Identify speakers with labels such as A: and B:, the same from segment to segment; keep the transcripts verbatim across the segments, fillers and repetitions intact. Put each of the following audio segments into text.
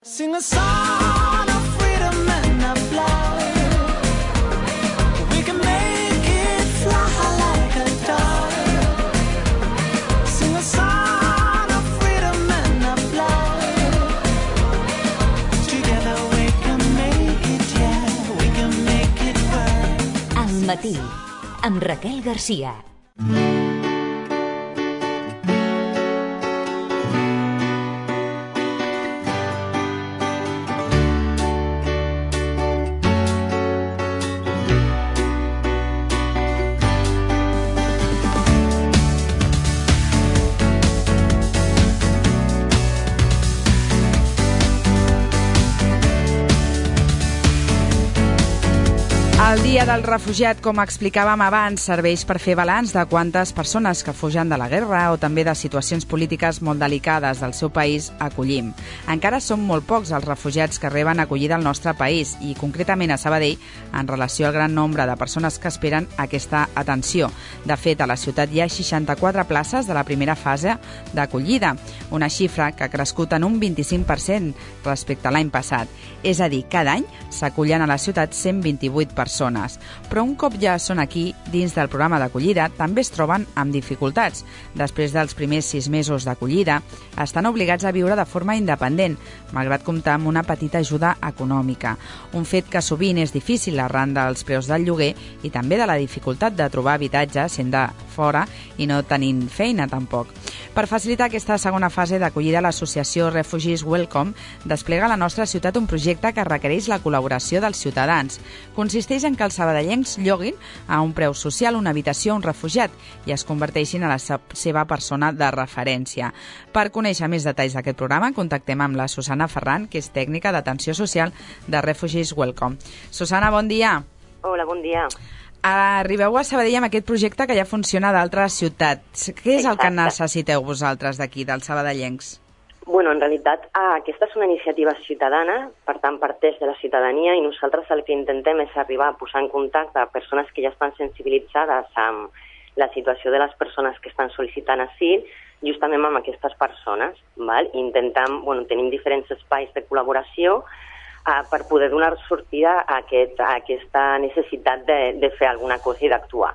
A: Sing a song of freedom and of love. We can make it fly like a dove. Sing a song of freedom and of love. Together we can make it, yeah, we can make it work.
B: Al matí, amb Raquel Garcia.
C: El Dia del Refugiat, com explicàvem abans, serveix per fer balanç de quantes persones que fugen de la guerra o també de situacions polítiques molt delicades del seu país acollim. Encara són molt pocs els refugiats que reben acollida al nostre país i, concretament a Sabadell, en relació al gran nombre de persones que esperen aquesta atenció. De fet, a la ciutat hi ha seixanta-quatre places de la primera fase d'acollida, una xifra que ha crescut en un vint-i-cinc per cent respecte a l'any passat. És a dir, cada any s'acullen a la ciutat cent vint-i-vuit persones. Però un cop ja són aquí, dins del programa d'acollida, també es troben amb dificultats. Després dels primers sis mesos d'acollida, estan obligats a viure de forma independent, malgrat comptar amb una petita ajuda econòmica. Un fet que sovint és difícil arran dels preus del lloguer i també de la dificultat de trobar habitatge sent de fora i no tenint feina tampoc. Per facilitar aquesta segona fase d'acollida, l'associació Refugees Welcome desplega a la nostra ciutat un projecte que requereix la col·laboració dels ciutadans. Consisteix en que els sabadellencs lloguin a un preu social una habitació a un refugiat i es converteixin a la seva persona de referència. Per conèixer més detalls d'aquest programa, contactem amb la Susana Ferran, que és tècnica d'atenció social de Refugees Welcome. Susana, bon dia.
D: Hola, bon dia.
C: Arribeu a Sabadell amb aquest projecte que ja funciona a d'altres ciutats. Què és el que necessiteu vosaltres d'aquí, dels sabadellencs?
D: Bueno, en realitat, ah, aquesta és una iniciativa ciutadana, per tant, parteix de la ciutadania i nosaltres el que intentem és arribar a posar en contacte a persones que ja estan sensibilitzades amb la situació de les persones que estan sol·licitant asil, justament amb aquestes persones, val? Intentem, bueno, tenim diferents espais de col·laboració uh, per poder donar sortida a, aquest, a aquesta necessitat de, de fer alguna cosa i d'actuar.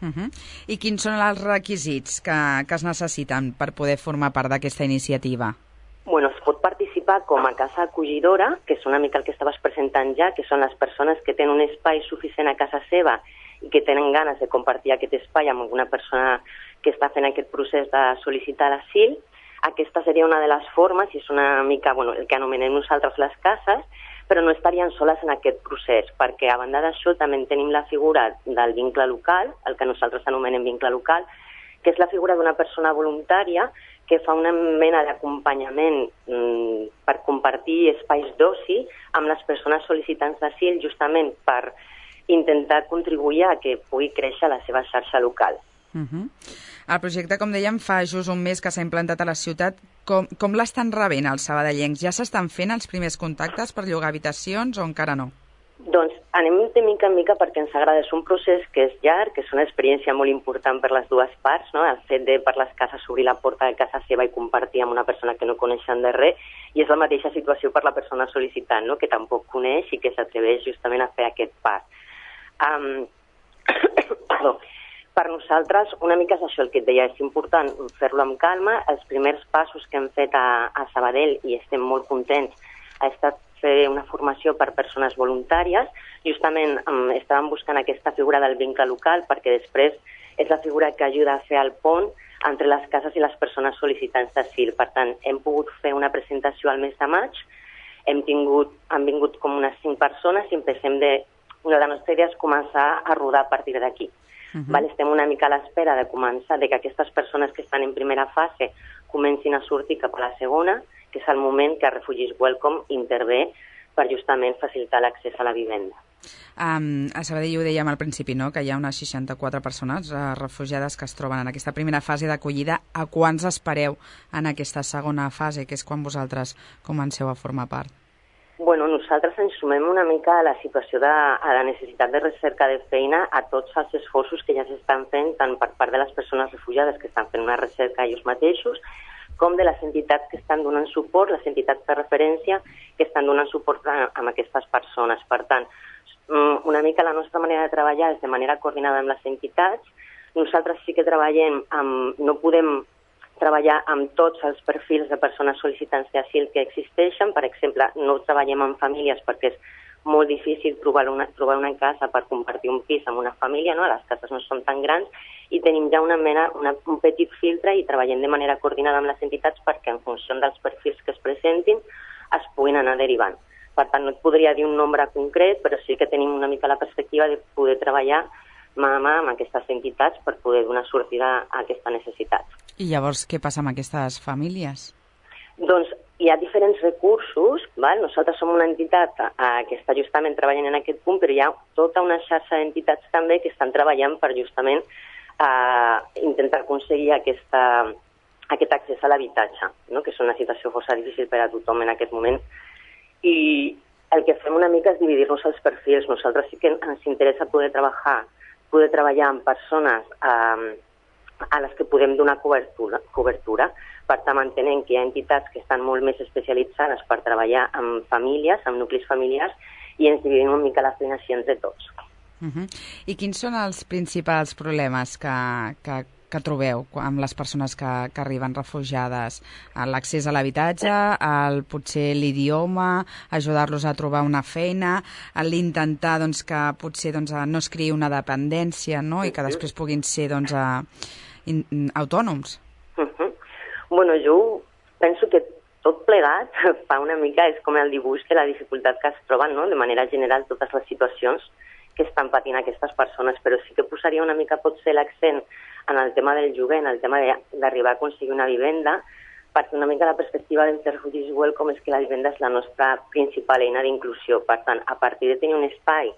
C: Uh -huh. I quins són els requisits que, que es necessiten per poder formar part d'aquesta iniciativa?
D: Bueno, es pot participar com a casa acollidora, que és una mica el que estaves presentant ja, que són les persones que tenen un espai suficient a casa seva i que tenen ganes de compartir aquest espai amb alguna persona que està fent aquest procés de sol·licitar l'asil. Aquesta seria una de les formes, i és una mica, bueno, el que anomenem nosaltres les cases, però no estarien soles en aquest procés, perquè a banda d'això també tenim la figura del vincle local, el que nosaltres anomenem vincle local, que és la figura d'una persona voluntària que fa una mena d'acompanyament mmm, per compartir espais d'oci amb les persones sol·licitants d'asil, justament per intentar contribuir a que pugui créixer la seva xarxa local.
C: Uh -huh. El projecte, com dèiem, fa just un mes que s'ha implantat a la ciutat. Com, com l'estan rebent els sabadellencs? Ja s'estan fent els primers contactes per llogar habitacions o encara no?
D: Doncs anem de mica en mica perquè ens agrada. És un procés que és llarg, que és una experiència molt important per les dues parts, no? El fet de per les cases obrir la porta de casa seva i compartir amb una persona que no coneixen de res, i és la mateixa situació per la persona sol·licitant, no? Que tampoc coneix i que s'atreveix justament a fer aquest pas. Um, perdó. Per nosaltres, una mica és això el que et deia, és important fer-lo amb calma. Els primers passos que hem fet a, a Sabadell, i estem molt contents, ha estat fer una formació per persones voluntàries. Justament um, estàvem buscant aquesta figura del vincle local perquè després és la figura que ajuda a fer el pont entre les cases i les persones sol·licitants d'asil. Per tant, hem pogut fer una presentació al mes de maig, hem tingut, han vingut com unes cinc persones i empecem de... Una de les nostres idees és començar a rodar a partir d'aquí. Uh-huh. Val? Estem una mica a l'espera de començar, de que aquestes persones que estan en primera fase comencin a sortir cap a la segona, que és el moment que Refugees Welcome intervé per justament facilitar l'accés a la vivenda.
C: Um, a Sabadell ho dèiem al principi, no?, que hi ha unes seixanta-quatre persones uh, refugiades que es troben en aquesta primera fase d'acollida. A quants espereu en aquesta segona fase, que és quan vosaltres comenceu a formar part?
D: Bueno, nosaltres ens sumem una mica a la situació de a la necessitat de recerca de feina, a tots els esforços que ja s'estan fent, tant per part de les persones refugiades que estan fent una recerca ells mateixos, com de les entitats que estan donant suport, les entitats de referència que estan donant suport a, a aquestes persones. Per tant, una mica la nostra manera de treballar és de manera coordinada amb les entitats. Nosaltres sí que treballem amb... no podem treballar amb tots els perfils de persones sol·licitants d'asil que existeixen. Per exemple, no treballem amb famílies perquè és molt difícil trobar una, trobar una casa per compartir un pis amb una família, no? Les cases no són tan grans i tenim ja una mena, una, un petit filtre i treballem de manera coordinada amb les entitats perquè en funció dels perfils que es presentin es puguin anar derivant. Per tant, no et podria dir un nombre concret, però sí que tenim una mica la perspectiva de poder treballar mà a mà amb aquestes entitats per poder donar sortida a aquesta necessitat.
C: I llavors què passa amb aquestes famílies?
D: Doncs hi ha diferents recursos, val? Nosaltres som una entitat eh, que està justament treballant en aquest punt, però hi ha tota una xarxa d'entitats també que estan treballant per justament eh, intentar aconseguir aquesta, aquest accés a l'habitatge, no? Que és una situació força difícil per a tothom en aquest moment. I el que fem una mica és dividir-nos els perfils. Nosaltres sí que ens interessa poder treballar, poder treballar amb persones eh, a les que podem donar cobertura, cobertura. Per tant, entenem que hi ha entitats que estan molt més especialitzades per treballar amb famílies, amb nuclis familiars, i ens dividim una mica la feina així entre tots.
C: Uh-huh. I quins són els principals problemes que, que, que trobeu amb les persones que, que arriben refugiades? L'accés a l'habitatge, el, potser l'idioma, ajudar-los a trobar una feina, l'intentar doncs, que potser doncs, no es creï una dependència, no? I que després puguin ser doncs, a, in, autònoms?
D: Uh-huh. Bueno, jo penso que tot plegat fa una mica, és com el dibuix de la dificultat que es troben, no? De manera general, totes les situacions que estan patint aquestes persones, però sí que posaria una mica potser l'accent en el tema del lloguer, en el tema d'arribar a aconseguir una vivenda, perquè una mica la perspectiva del Refugees Welcome és que la vivenda és la nostra principal eina d'inclusió. Per tant, a partir de tenir un espai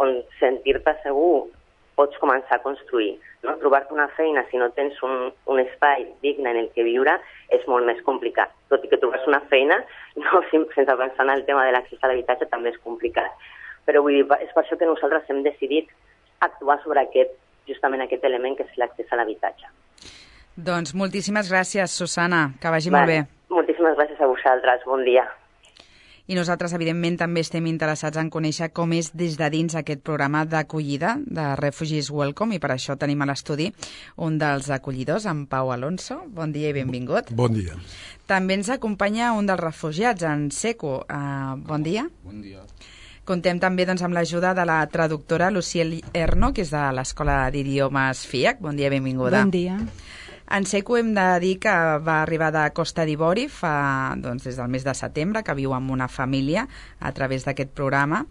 D: on sentir-te segur, pots començar a construir. No? Trobar-te una feina si no tens un, un espai digne en el que viure és molt més complicat. Tot i que trobar-se una feina, no, sense pensar en el tema de l'accés a l'habitatge, també és complicat. Però vull dir, és per això que nosaltres hem decidit actuar sobre aquest, justament aquest element que és l'accés a l'habitatge.
C: Doncs moltíssimes gràcies, Susana, que vagi
D: vale.
C: molt bé.
D: Moltíssimes gràcies a vosaltres, bon dia.
C: I nosaltres, evidentment, també estem interessats en conèixer com és des de dins aquest programa d'acollida de Refugees Welcome, i per això tenim a l'estudi un dels acollidors, en Pau Alonso. Bon dia i benvingut.
E: Bon dia.
C: També ens acompanya un dels refugiats, en Seco. Uh, bon dia.
F: Bon dia.
C: Contem també doncs, amb l'ajuda de la traductora Luciel Erno, que és de l'Escola d'Idiomes FIAC. Bon dia, benvinguda.
G: Bon dia.
C: En Seco hem de dir que va arribar de Costa d'Ivori fa, doncs, des del mes de setembre, que viu amb una família a través d'aquest programa,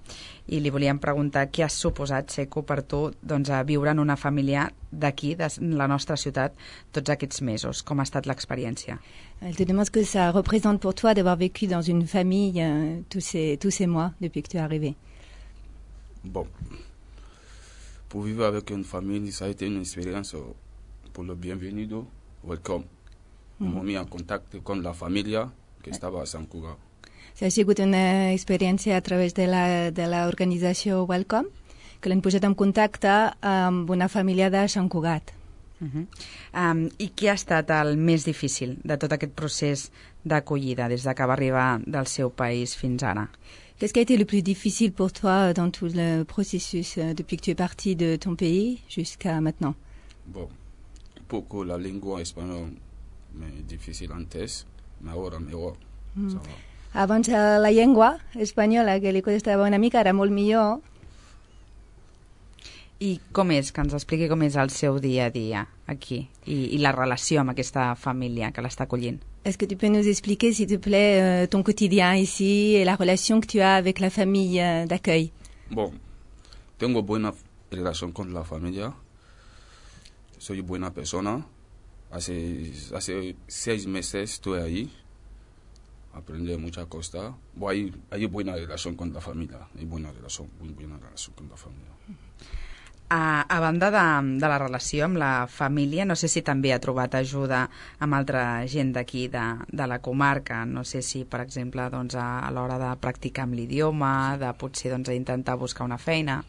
C: i li volíem preguntar què ha suposat, Seco, per tu doncs, a viure en una família d'aquí, de la nostra ciutat, tots aquests mesos. Com ha estat l'expérience?
G: Elle te demande ce que ça représente pour toi d'avoir vécu dans une famille euh, tous, ces, tous ces mois depuis que tu es arrivé.
F: Bon, pour vivre avec une famille, ça a été une expérience pour le bienvenido, welcome. Mm. M'ont mis en contact con la familia que estaba a Sant Cugat.
G: Ha sigut una experiència a través de la, de l'organització Welcome, que l'han posat en contacte amb una família de Sant Cugat.
C: Uh -huh. um, I què ha estat el més difícil de tot aquest procés d'acollida des de que va arribar del seu país fins ara?
G: Qu'est-ce qui a été le plus difficile pour toi dans tout le processus depuis que tu es parti de ton pays jusqu'à maintenant?
F: Bon, un poco la lengua española es difícil antes, mais ahora mejor. Mm. Ça va.
G: Abans la llengua espanyola, que li costava una mica, era molt millor.
C: I com és? Que ens expliqui com és el seu dia a dia aquí i, i la relació amb aquesta família que l'està acollint.
G: Est-ce que tu peux nous expliquer, s'il te plaît, euh, ton quotidien ici et la relation que tu as avec la famille euh, d'accueil?
F: Bon, tengo buena relación con la familia. Soy buena persona. Hace, hace seis meses estoy ahí. Aprendí muchas cosas. Bueno, hay, hay buena relación con la familia. Hay buena relación, muy buena relación con la familia.
C: A, a banda de, de la relació amb la família, no sé si també ha trobat ajuda amb altra gent d'aquí, de, de la comarca. No sé si, per exemple, doncs, a, a l'hora de practicar amb l'idioma, de potser doncs, intentar buscar una feina.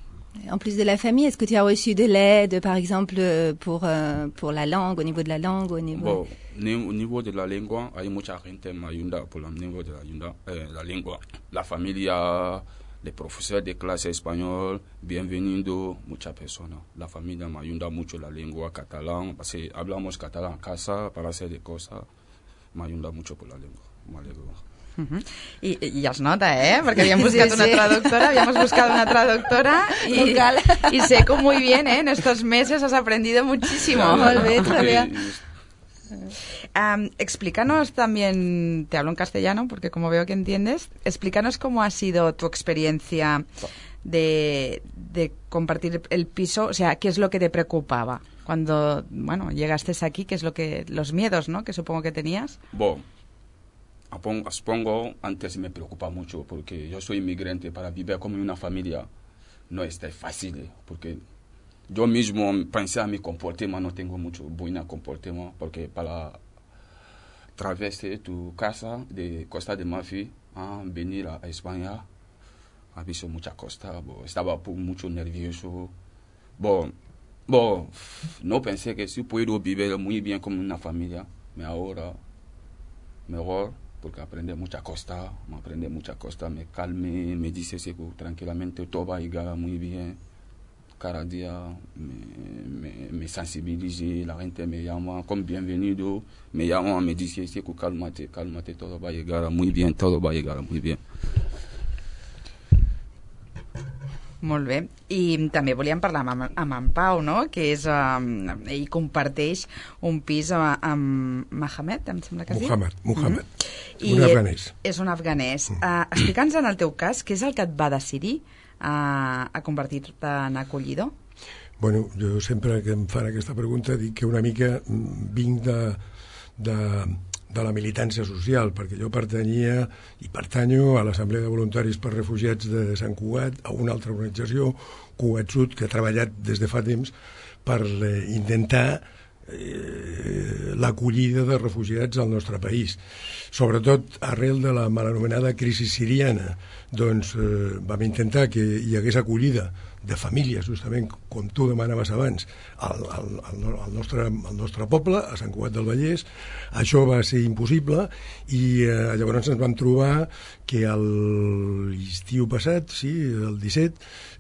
G: En plus de la famille, est-ce que tu as reçu de l'aide, par exemple, pour, euh, pour la langue, au niveau de la langue, au niveau...
F: Bon, au niveau de la lengua, hay mucha gente me ayuda por el niveau de la, ayuda, eh, la lengua. La familia, los profesores de clase español, bienvenido, muchas personas. La familia me ayuda mucho la lengua catalán, porque hablamos catalán en casa para hacer de cosas. Me ayuda mucho por la lengua, me alegro.
C: Uh -huh. I, I es nota, eh? Perquè havíem buscat sí, sí. una traductora, habíamos buscado una traductora y, y sé que muy bien, ¿eh? En estos meses has aprendido muchísimo.
G: Molt bé, Javier.
C: Um, explícanos también, te hablo en castellano porque como veo que entiendes, explícanos cómo ha sido tu experiencia de, de compartir el piso, o sea, ¿qué es lo que te preocupaba cuando, bueno, llegaste aquí? ¿Qué es lo que, los miedos, ¿no? Que supongo que tenías.
F: Bueno, supongo antes me preocupa mucho porque yo soy inmigrante, para vivir como una familia no es tan fácil, porque yo mismo pensé a mi comportamiento, no tengo mucho buen comportamiento, porque para atravesar tu casa de Costa de Marfil a venir a España, ha visto mucha costa, bo, estaba mucho nervioso. Bo, bo, no pensé que sí puedo vivir muy bien como una familia, pero ahora mejor, porque aprende mucha costa, me aprende mucha costa, me calme, me dice que tranquilamente todo va a llegar muy bien. Cada día me, me, me sensibilice, la gente me llama como bienvenido, me llama, me dice que cálmate, cálmate, todo va a llegar muy bien, todo va a llegar muy bien.
C: Molt bé. I també volíem parlar amb, amb en Pau, no? Que és, um, ell comparteix un pis amb Mohamed, em sembla que es diu?
E: Mohamed, Mohamed.
C: Mm-hmm.
E: Un afganès.
C: És un afganès. Mm. Uh, Explica'ns en el teu cas, què és el que et va decidir a, a convertir-te en acollidor?
E: Bueno, jo sempre que em fan aquesta pregunta dic que una mica vinc de, de, de la militància social, perquè jo pertanyia i pertanyo a l'Assemblea de Voluntaris per Refugiats de Sant Cugat, a una altra organització, Cugat Sud, que ha treballat des de fa temps per eh, intentar eh, l'acollida de refugiats al nostre país. Sobretot arrel de la mal anomenada crisi siriana, doncs eh, vam intentar que hi hagués acollida de famílies, justament com tu demanaves abans, al, al, al, nostre, al nostre poble, a Sant Cugat del Vallès. Això va ser impossible i eh, llavors ens vam trobar que l'estiu passat, sí, el disset,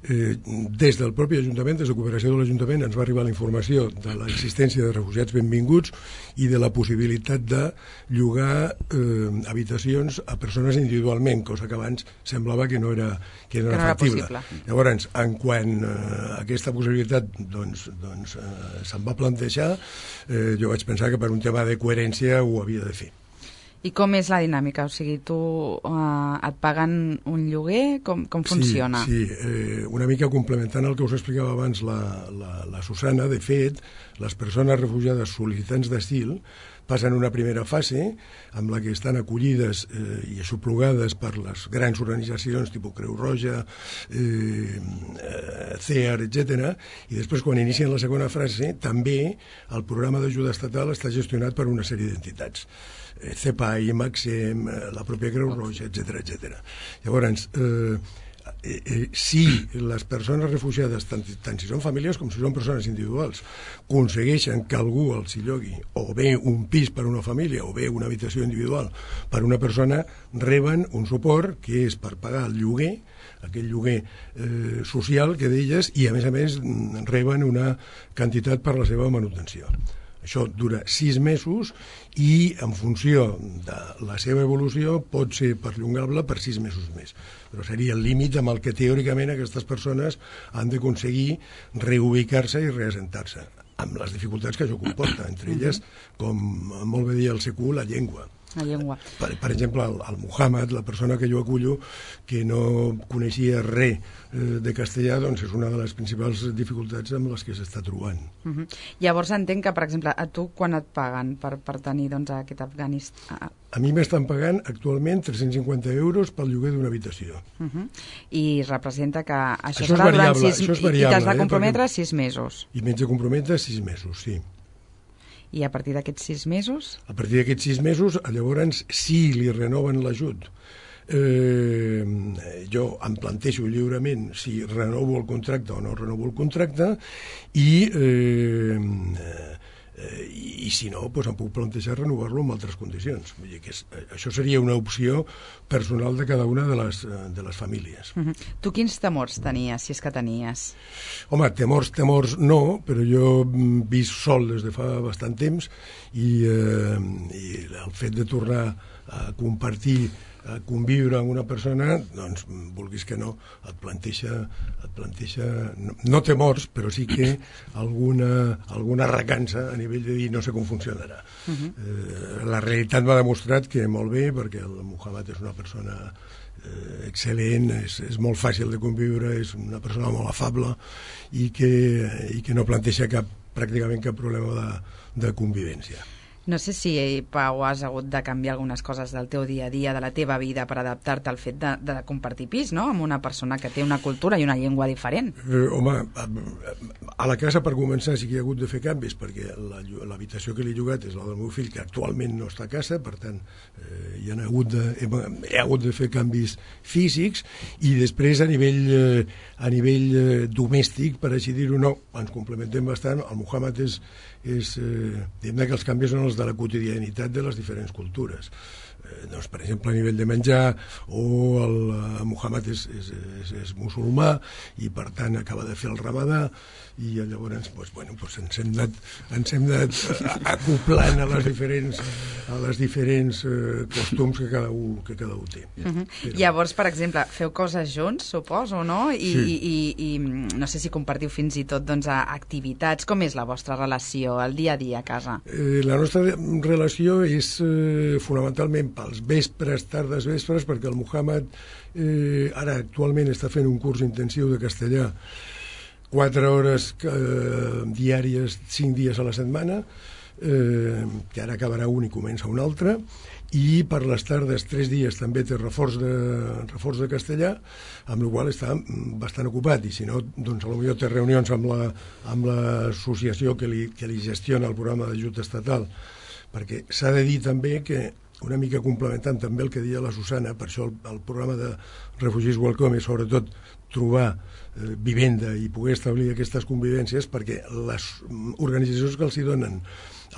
E: eh, des del propi Ajuntament, des de cooperació de l'Ajuntament, ens va arribar la informació de l'existència de refugiats benvinguts i de la possibilitat de llogar eh, habitacions a persones individualment, cosa que abans semblava que no era, que no era, que no era factible. Possible. Llavors, en quan eh, aquesta possibilitat doncs, doncs, eh, se'n va plantejar, eh, jo vaig pensar que per un tema de coherència ho havia de fer.
C: I com és la dinàmica? O sigui, tu uh, et paguen un lloguer? Com, com funciona?
E: Sí, sí. Eh, una mica complementant el que us explicava abans la, la, la Susana, de fet, les persones refugiades sol·licitants d'asil passen una primera fase amb la que estan acollides eh, i aixoplugades per les grans organitzacions tipus Creu Roja, eh, C E A R, etcètera, i després quan inicien la segona fase també el programa d'ajuda estatal està gestionat per una sèrie d'entitats. C E P A I, Maxem, la pròpia Creu Roja, etcètera, etcètera. Llavors, eh, eh, eh, si les persones refugiades, tant, tant si són famílies com si són persones individuals, aconsegueixen que algú els hi llogui o bé un pis per a una família o bé una habitació individual per a una persona, reben un suport que és per pagar el lloguer, aquell lloguer eh, social que d'elles, i a més a més reben una quantitat per la seva manutenció. Això dura sis mesos i en funció de la seva evolució pot ser perllongable per sis mesos més. Però seria el límit amb el que teòricament aquestes persones han d'aconseguir reubicar-se i reassentar-se, amb les dificultats que això comporta, entre elles, com molt bé deia el C Q, la llengua.
C: La llengua.
E: Per, per exemple, el, el Mohamed, la persona que jo acullo, que no coneixia res eh, de castellà, doncs és una de les principals dificultats amb les que s'està trobant.
C: Uh -huh. Llavors entenc que, per exemple, a tu quan et paguen per, per tenir doncs, aquest afganista? A,
E: a mi m'estan pagant actualment tres-cents cinquanta euros pel lloguer d'una habitació.
C: Uh -huh. I representa que això,
E: això
C: serà
E: variable,
C: durant sis
E: això és variable,
C: i t'has de comprometre
E: eh,
C: perquè... sis mesos.
E: I m'haig de comprometre sis mesos, sí.
C: I a partir d'aquests sis mesos?
E: A partir d'aquests sis mesos, llavors, si li renoven l'ajut eh, jo em plantejo lliurement si renovo el contracte o no renovo el contracte i eh, eh, i si no, doncs em puc plantejar renovar-lo amb altres condicions. Vull dir que és, això seria una opció personal de cada una de les, de les famílies.
C: Uh-huh. Tu quins temors tenies, si és que tenies?
E: Home, temors, temors no, però jo visc sol des de fa bastant temps i, eh, i el fet de tornar a compartir, a conviure amb una persona, doncs, vulguis que no, et planteja, et planteja no, no temors, però sí que alguna, alguna recança a nivell de dir no sé com funcionarà. Uh-huh. eh, la realitat m'ha demostrat que molt bé, perquè el Muhammad és una persona eh, excel·lent, és, és molt fàcil de conviure, és una persona molt afable i que, i que no planteja cap, pràcticament cap problema de, de convivència.
C: No sé si, Pau, has hagut de canviar algunes coses del teu dia a dia, de la teva vida, per adaptar-te al fet de, de compartir pis, no?, amb una persona que té una cultura i una llengua diferent.
E: Eh, home, a, a la casa, per començar, sí que hi ha hagut de fer canvis, perquè l'habitació que li he llogat és la del meu fill, que actualment no està a casa, per tant, eh, hi ha hagut de, he, he hagut de fer canvis físics, i després, a nivell, eh, a nivell eh, domèstic, per així dir-ho, no, ens complementem bastant. El Muhammad és, és eh, diguem que els canvis són els de la quotidianitat de les diferents cultures. Eh, doncs, per exemple, a nivell de menjar, o el uh, Muhammad és, és, és, és musulmà i per tant acaba de fer el ramadà, i llavors doncs, bueno, doncs ens hem anat, ens hem anat acoplant a les diferents, a les diferents eh, costums que cada un, que cada un té. Ja.
C: Uh-huh.
E: Però...
C: Llavors, per exemple, feu coses junts, suposo, no? I,
E: sí.
C: i, i, i no sé si compartiu fins i tot, doncs, a activitats. Com és la vostra relació, el dia a dia a casa?
E: Eh, la nostra relació és eh, fonamentalment pels vespres, tardes, vespres, perquè el Muhammad eh, ara actualment està fent un curs intensiu de castellà, quatre hores eh, diàries, cinc dies a la setmana, eh, que ara acabarà un i comença un altre, i per les tardes, tres dies, també té reforç de, reforç de castellà, amb la qual està bastant ocupat, i si no, doncs potser té reunions amb la, amb l'associació que li, que li gestiona el programa d'ajut estatal, perquè s'ha de dir també que, una mica complementant també el que deia la Susana, per això el, el programa de Refugees Welcome és sobretot trobar eh, vivenda i poder establir aquestes convivències, perquè les organitzacions que els hi donen,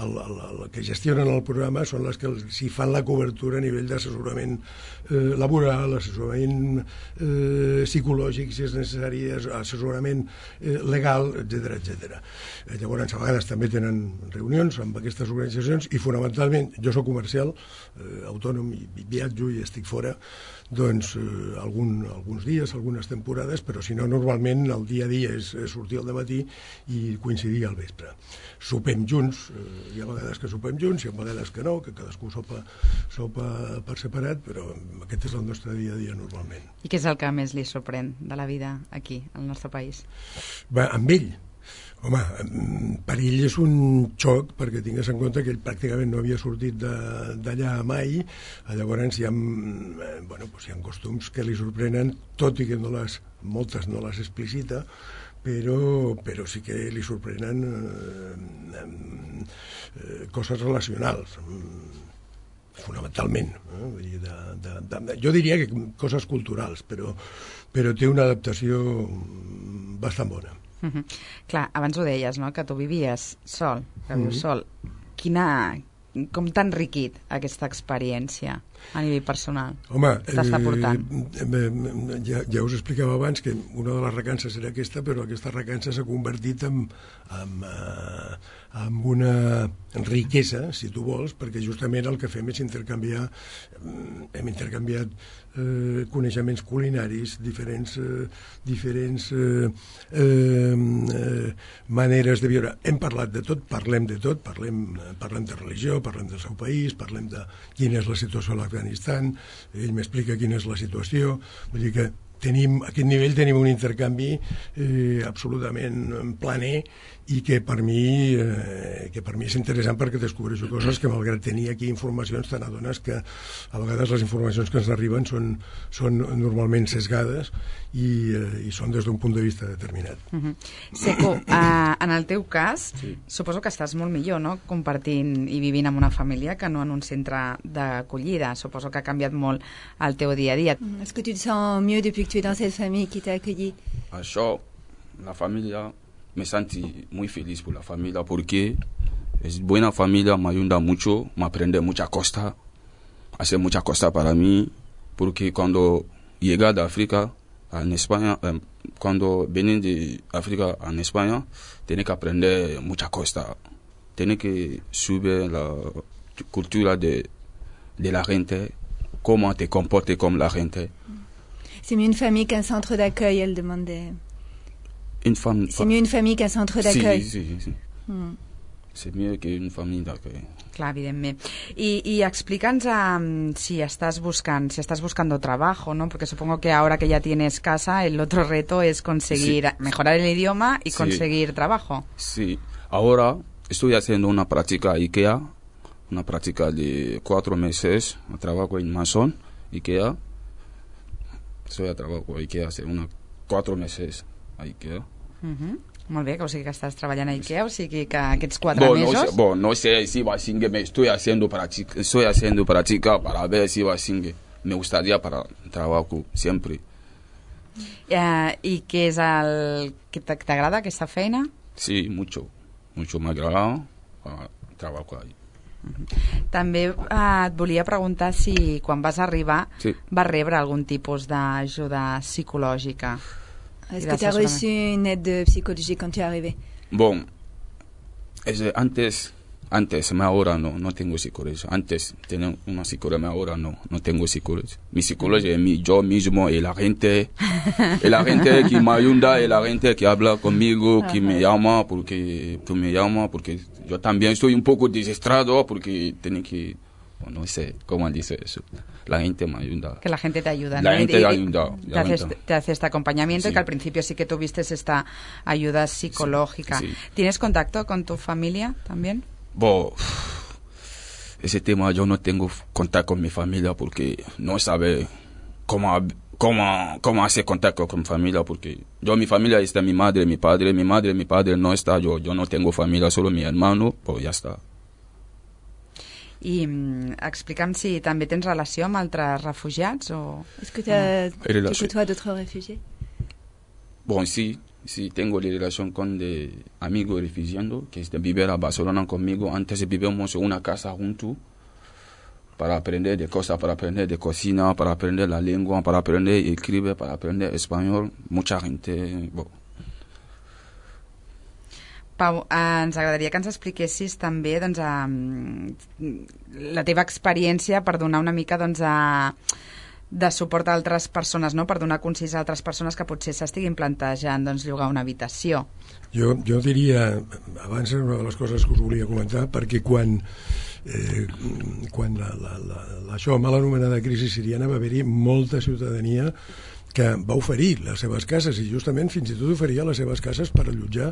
E: el, el, el que gestionen el programa, són les que s'hi fan la cobertura a nivell d'assessorament eh, laboral, assessorament eh, psicològic, si és necessari, assessorament eh, legal, etcètera, etcètera. Eh, llavors, a vegades també tenen reunions amb aquestes organitzacions, i fonamentalment, jo soc comercial, eh, autònom, i, i viatjo i estic fora, doncs eh, algun, alguns dies, algunes temporades, però si no, normalment el dia a dia és, és sortir al dematí i coincidir al vespre. Sopem junts, eh, hi ha vegades que sopem junts, hi ha vegades que no, que cadascú sopa, sopa per separat, però aquest és el nostre dia a dia normalment.
C: I què és el que més li sorprèn de la vida aquí, al nostre país?
E: Va, amb ell, home, per ell és un xoc, perquè tingues en compte que ell pràcticament no havia sortit d'allà mai. Llavors hi ha, bueno, doncs hi ha costums que li sorprenen, tot i que no les, moltes no les explicita, però, però sí que li sorprenen eh, eh, coses relacionals, fonamentalment. Eh? De, de, de, jo diria que coses culturals, però, però té una adaptació bastant bona.
C: Uh-huh. Clar, abans ho deies, no?, que tu vivies sol, que vius
E: uh-huh.
C: sol. Quina, com t'ha enriquit aquesta experiència a nivell personal?
E: Home,
C: t'està portant?
E: Eh, ja, ja us explicava abans que una de les recances era aquesta, però aquesta recança s'ha convertit en, en, eh, en una riquesa, si tu vols, perquè justament el que fem és intercanviar, hem intercanviat eh, coneixements culinaris, diferents, eh, diferents eh, eh, maneres de viure. Hem parlat de tot, parlem de tot, parlem, parlem de religió, parlem del seu país, parlem de quina és la situació a l'Afganistan, ell m'explica quina és la situació, vull dir que tenim, a aquest nivell tenim un intercanvi eh, absolutament planer i que per mi eh, que per mi és interessant perquè descobreixo coses que malgrat tenir aquí informacions te n'adones que a vegades les informacions que ens arriben són, són normalment sesgades i, eh, i són des d'un punt de vista determinat.
C: Uh-huh. Seco, uh, en el teu cas sí. Suposo que estàs molt millor, no?, compartint i vivint amb una família que no en un centre d'acollida. Suposo que ha canviat molt el teu dia a dia.
G: Est-ce que tu te sens mieux depuis que tu es dans cette famille qui t'a accueilli?
F: Això, la família, me senti muy feliz por la familia porque es buena familia, me ayuda mucho, me aprende mucha cosa, hace mucha cosa para mí, porque cuando llegué de África en España, eh, cuando vine de África en España, tiene que aprender mucha cosa, tiene que subir la cultura de, de la gente, cómo te comportes como la gente.
G: C'est mieux une famille qu'un centre d'accueil, elle demandait.
F: Une femme,
G: c'est mieux une famille qu'un centre d'accueil.
F: Sí, sí, sí. Mm. C'est mieux que une famille d'accueil.
C: Clar, evidentment. I, i explica'ns um, si estàs buscant, si estás buscando trabajo, ¿no? Porque supongo que ahora que ya tienes casa, el otro reto es conseguir sí. mejorar el idioma y sí. conseguir trabajo.
F: Sí, ahora estoy haciendo una práctica IKEA, una práctica de cuatro meses, trabajo en Mason, IKEA. Estoy a trabajo IKEA hace unos cuatro meses a IKEA.
C: Uh-huh. Molt bé, que o sigui que estàs treballant a IKEA, o sigui que aquests quatre
F: bon,
C: mesos...
F: No sé, bon, no sé si va a seguir, me estoy haciendo práctica, estoy haciendo práctica para ver si va a seguir. Me gustaría para trabajo siempre.
C: Uh, I què és el que t'agrada, aquesta feina?
F: Sí, mucho, mucho me agrada para trabajo ahí.
C: Uh-huh. També uh, et volia preguntar si quan vas arribar sí. vas rebre algun tipus d'ajuda psicològica.
G: Est-ce que tu as reçu une aide psychologique quand tu es arrivé?
F: Bon, es, antes, antes, me ahora no, no tengo psicología. Antes tenía una psicología, ahora no, no tengo psicología. Mi psicología es mi, yo mismo y la gente, y la gente que me ayuda, y la gente que habla conmigo, que me llama, porque, que me llama, porque yo también estoy un poco desesperado, porque tengo que... No sé cómo dice eso. La gente me ayuda.
C: Que la gente te ayuda,
F: la
C: ¿no?
F: gente te ayuda.
C: Te hace, te hace este acompañamiento sí. y que al principio sí que tuviste esta ayuda psicológica. Sí, sí. ¿Tienes contacto con tu familia también?
F: Bo, ese tema yo no tengo contacto con mi familia porque no sabe cómo, cómo, cómo hacer contacto con mi familia, porque yo, mi familia está mi madre, mi padre, mi madre, mi padre no está, yo, yo no tengo familia, solo mi hermano, pues ya está.
C: I mm, explica'm si també tens relació amb altres refugiats o...
G: Est-ce que tu côtoies d'autres réfugiés?
F: Bon, sí, sí, tengo relación con de amigos refugiados que viven a Barcelona conmigo. Antes vivíamos en una casa juntos para aprender de cosas, para aprender de cocina, para aprender la lengua, para aprender a escribir, para aprender español. Mucha gente... Bon.
C: Pau, eh, ens agradaria que ens expliquessis també doncs, eh, la teva experiència per donar una mica doncs, eh, de suport a altres persones, no? Per donar consís a altres persones que potser s'estiguin plantejant doncs, llogar una habitació.
E: Jo, jo diria, abans era una de les coses que us volia comentar, perquè quan, eh, quan la, la, la, la, això mal anomenada crisi siriana va haver-hi molta ciutadania que va oferir les seves cases i justament fins i tot oferia les seves cases per allotjar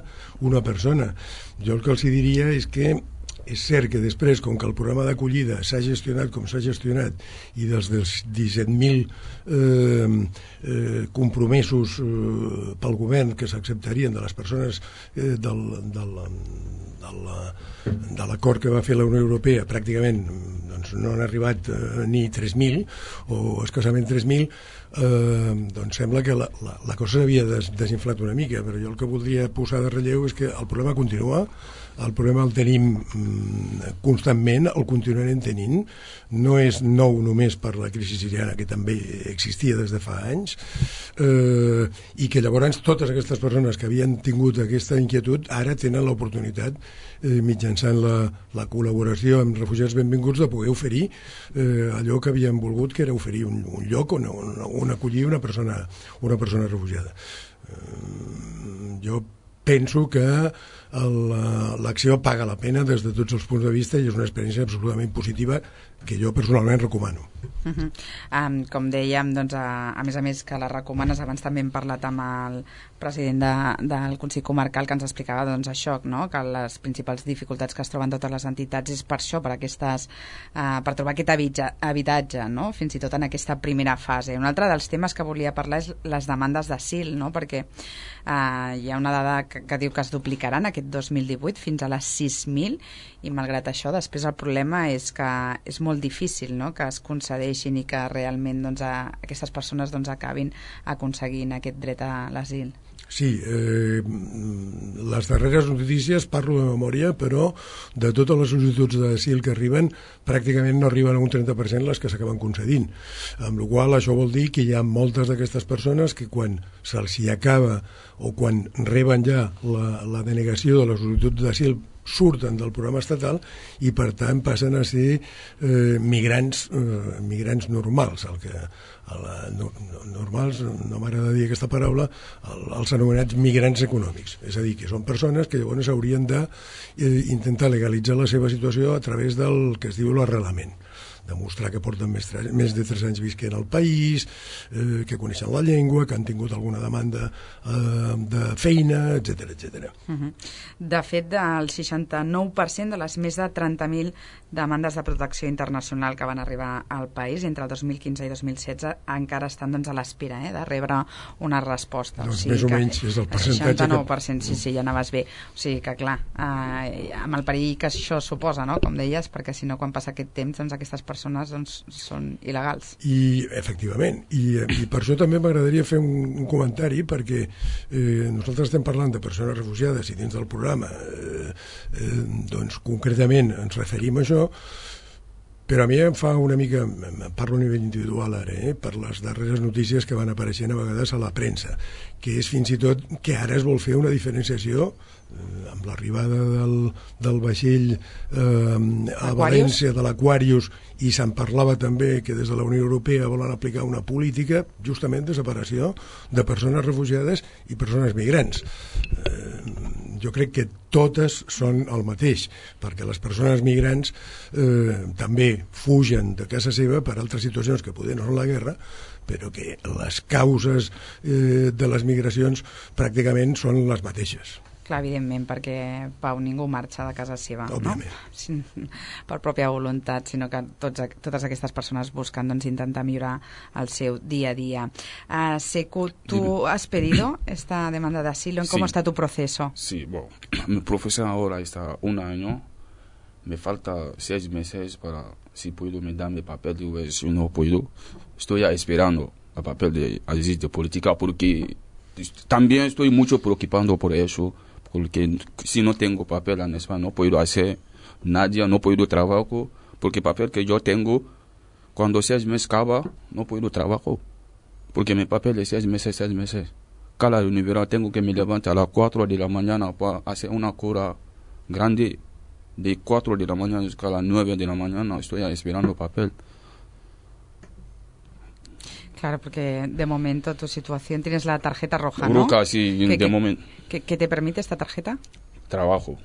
E: una persona. Jo el que els diria és que és cert que després, com que el programa d'acollida s'ha gestionat com s'ha gestionat i dels, dels disset mil eh, eh, compromisos eh, pel govern que s'acceptarien de les persones eh, del, del, del, de l'acord que va fer la Unió Europea, pràcticament doncs, no han arribat eh, ni tres mil o escassament tres mil, eh, doncs sembla que la, la, la cosa s'havia des, desinflat una mica, però jo el que voldria posar de relleu és que el problema continua. El problema el tenim mm, constantment, el continuarem tenint. No és nou només per la crisi siriana, que també existia des de fa anys, eh, i que llavors totes aquestes persones que havien tingut aquesta inquietud ara tenen l'oportunitat, eh, mitjançant la, la col·laboració amb Refugiats Benvinguts, de poder oferir eh, allò que havien volgut, que era oferir un, un lloc on, on, on acollir una persona, una persona refugiada. Eh, jo penso que l'acció paga la pena des de tots els punts de vista i és una experiència absolutament positiva que jo personalment recomano.
C: Uh -huh. um, com dèiem, doncs, a, a més a més que la recomanes, abans també hem parlat amb el president de, del Consell Comarcal que ens explicava doncs, això, no? Que les principals dificultats que es troben totes les entitats és per això, per, aquestes, uh, per trobar aquest habitatge, habitatge no? Fins i tot en aquesta primera fase. Un altre dels temes que volia parlar és les demandes d'asil, no? Perquè uh, hi ha una dada que, que diu que es duplicaran aquest dos mil divuit fins a les sis mil i malgrat això després el problema és que és molt difícil, no? Que es concedeixin i que realment doncs, a, aquestes persones doncs, acabin aconseguint aquest dret a l'asil.
E: Sí, eh, les darreres notícies, parlo de memòria, però de totes les sol·licituds d'asil que arriben, pràcticament no arriben a un trenta per cent les que s'acaben concedint. Amb la qual cosa això vol dir que hi ha moltes d'aquestes persones que quan se'ls hi acaba o quan reben ja la, la denegació de la sol·licitud d'asil surten del programa estatal i per tant passen a ser eh, migrants eh, migrants normals el que, la, no, normals, no m'agrada dir aquesta paraula, el, els anomenats migrants econòmics, és a dir, que són persones que llavors haurien d'intentar eh, legalitzar la seva situació a través del que es diu l'arrelament, demostrar que porten més, més de tres anys visquent al país, eh, que coneixen la llengua, que han tingut alguna demanda eh, de feina, etcètera, etcètera.
C: Uh-huh. De fet, el seixanta-nou per cent de les més de trenta mil demandes de protecció internacional que van arribar al país entre el dos mil quinze i dos mil setze encara estan doncs, a l'espera eh, de rebre una resposta.
E: Doncs
C: o sigui
E: més o menys és el percentatge.
C: El seixanta-nou per cent, sí, sí, ja anaves bé. O sigui que, clar, eh, amb el perill que això suposa, no?, com deies, perquè si no, quan passa aquest temps, doncs aquestes persones doncs, són il·legals.
E: I, efectivament, i, i per això també m'agradaria fer un, un comentari, perquè eh, nosaltres estem parlant de persones refugiades i dins del programa eh, eh, doncs concretament ens referim a això, però a mi em fa una mica, parlo a nivell individual ara, eh, per les darreres notícies que van apareixent a vegades a la premsa, que és fins i tot que ara es vol fer una diferenciació eh, amb l'arribada del, del vaixell eh, a València, de l'Aquarius, i se'n parlava també que des de la Unió Europea volen aplicar una política justament de separació de persones refugiades i persones migrants. Eh, jo crec que totes són el mateix, perquè les persones migrants eh, també fugen de casa seva per altres situacions que poder no són la guerra, però que les causes eh, de les migracions pràcticament són les mateixes.
C: Clar, evidentment, perquè, Pau, ningú marxa de casa seva,
E: òbviament,
C: no? Sí, per pròpia voluntat, sinó que tots, totes aquestes persones busquen doncs, intentar millorar el seu dia a dia. Uh, Seku, ¿tú has pedido esta demanda de asilo? ¿Cómo sí. está tu proceso?
F: Sí, bueno, mi proceso ahora está un año, me falta seis meses para, si puedo, me dan mi papel, y si no puedo, estoy esperando el papel de asilo de política, porque también estoy mucho preocupando por eso, porque si no tengo papel en España no puedo hacer nada, no puedo trabajar, porque el papel que yo tengo, cuando seis meses acaba, no puedo trabajar, porque mi papel es seis meses, seis meses. Cada universidad tengo que me levantar a las cuatro de la mañana para hacer una cura grande, de cuatro de la mañana hasta las nueve de la mañana, estoy esperando papel.
C: Claro, porque de momento tu situación tienes la tarjeta roja, ¿no?
F: Roja, sí,
C: ¿Qué,
F: de
C: qué,
F: momento.
C: ¿qué, ¿Qué te permite esta tarjeta?
F: Trabajo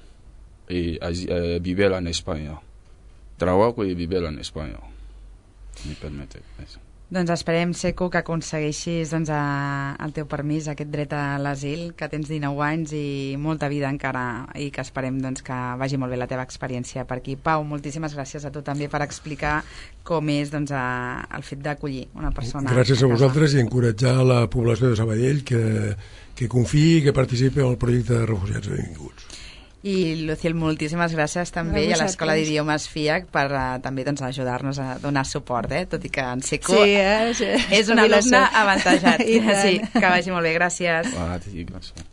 F: y eh, vivir en España. Trabajo y vivir en España. Me permite eso.
C: Doncs esperem, Seku, que aconsegueixis doncs, a, el teu permís, aquest dret a l'asil, que tens dinou anys i molta vida encara, i que esperem doncs, que vagi molt bé la teva experiència per aquí. Pau, moltíssimes gràcies a tu també per explicar com és doncs, a, el fet d'acollir una persona.
E: Gràcies a, a vosaltres i encoratjar la població de Sabadell que, que confiï i que participi en el projecte de refugiats benvinguts.
C: I, Luciel, moltíssimes gràcies també a, a l'Escola d'Idiomes FIAC per uh, també doncs, ajudar-nos a donar suport, eh? Tot i que en Seku
G: sí, eh? sí.
C: és un alumne avantatjat. Sí, que vagi molt bé, gràcies.
F: Ah, sí, gràcies.